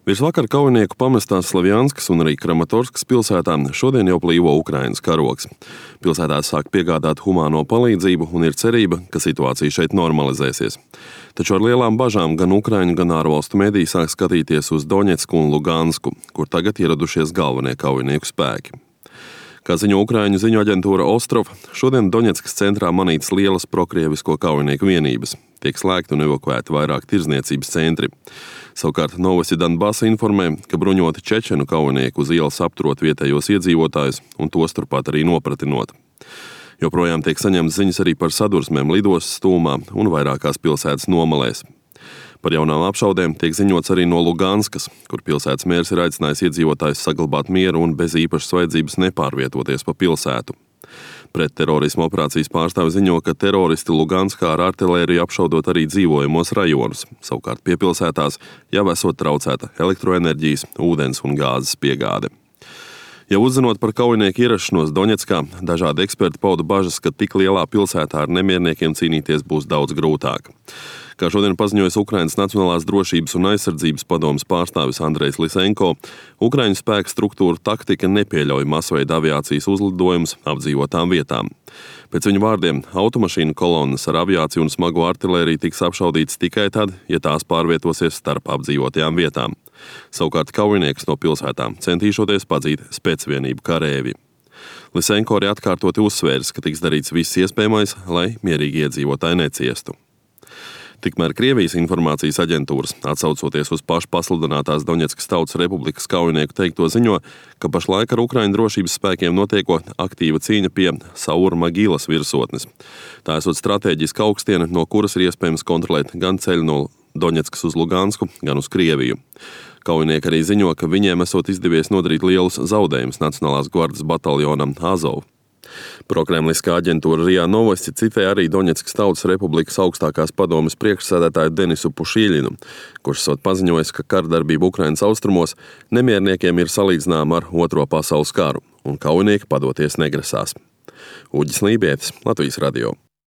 Virsvakar kaujinieku pamestās Slavjanskas un arī Kramatorskas pilsētām šodien jau plīvo Ukrainas karogs. Pilsētās sāk piegādāt humāno palīdzību un ir cerība, ka situācija šeit normalizēsies. Taču ar lielām bažām gan Ukraiņu, gan ārvalstu mediji sāk skatīties uz Doņetsku un Lugansku, kur tagad ieradušies galvenie kaujinieku spēki. Kā ziņo Ukraiņu ziņu aģentūra Ostrov, šodien Doņetskas centrā manītas lielas prokrievisko kaujinieku vienības. Tiek slēgti un evakuēti vairāk tirdzniecības centri. Savukārt Novosti Donbasa informē, ka bruņoti čečenu kaujinieki uz ielas apturot vietējos iedzīvotājus un tos turpat arī nopratinot. Joprojām tiek saņemts ziņas arī par sadursmēm lidostas tūmā un vairākās pilsētas nomalēs. Par jaunām apšaudēm tiek ziņots arī no Luganskas, kur pilsētas mērs ir aicinājis iedzīvotājus saglabāt mieru un bez īpašas vajadzības nepārvietoties pa pilsētu. Pretterorisma operācijas pārstāvi ziņo, ka teroristi Luganskā ar artilēriju apšaudot arī dzīvojamos rajonus, savukārt piepilsētās jau esot traucēta elektroenerģijas, ūdens un gāzes piegāde. Jau uzzinot par kaujinieku ierašanos Doņetskā, dažādi eksperti pauda bažas, ka tik lielā pilsētā ar nemierniekiem cīnīties būs daudz grūtāk. Kā šodien paziņojas Ukrainas Nacionālās drošības un aizsardzības padomes pārstāvis Andrejs Lisenko, Ukraiņu spēku struktūra taktika nepieļauj masveida aviācijas uzlidojumus apdzīvotām vietām. Pēc viņu vārdiem, automašīnu kolonnas ar aviāciju un smago artilēriju tiks apšaudītas tikai tad, ja tās pārvietosies starp apdzīvotajām vietām. Savukārt kaujiniekus no pilsētām centīšoties padzīt spēcvienību karēvi. Lisenko arī atkārtoti uzsvērs, ka tiks darīts viss iespējamais, lai mierīgi iedzīvotāji neciestu. Tikmēr Krievijas informācijas aģentūras, atsaucoties uz pašpasludinātās Doņetskas Tautas Republikas kaujinieku teikto, ziņo, ka pašlaik ar Ukraiņu drošības spēkiem notiekot aktīva cīņa pie Saur-Magīlas virsotnes. Tā esot stratēģiska augstiene, no kuras ir iespējams kontrolēt gan ceļu no Doņetskas uz Lugansku, gan uz Krieviju. Kaujinieki arī ziņo, ka viņiem esot izdevies nodarīt lielus zaudējumus Nacionālās gvardes bataljonam Azov. Prokremliskā aģentūra RIA Novosti citē arī Doņetskas Tautas Republikas augstākās padomes priekšsēdētāju Denisu Pušīļinu, kurš esot paziņojis, ka kardarbība Ukrainas austrumos nemierniekiem ir salīdzināma ar Otro pasaules karu, un kaujinieki padoties negrasās. Uģis Lībietis, Latvijas radio.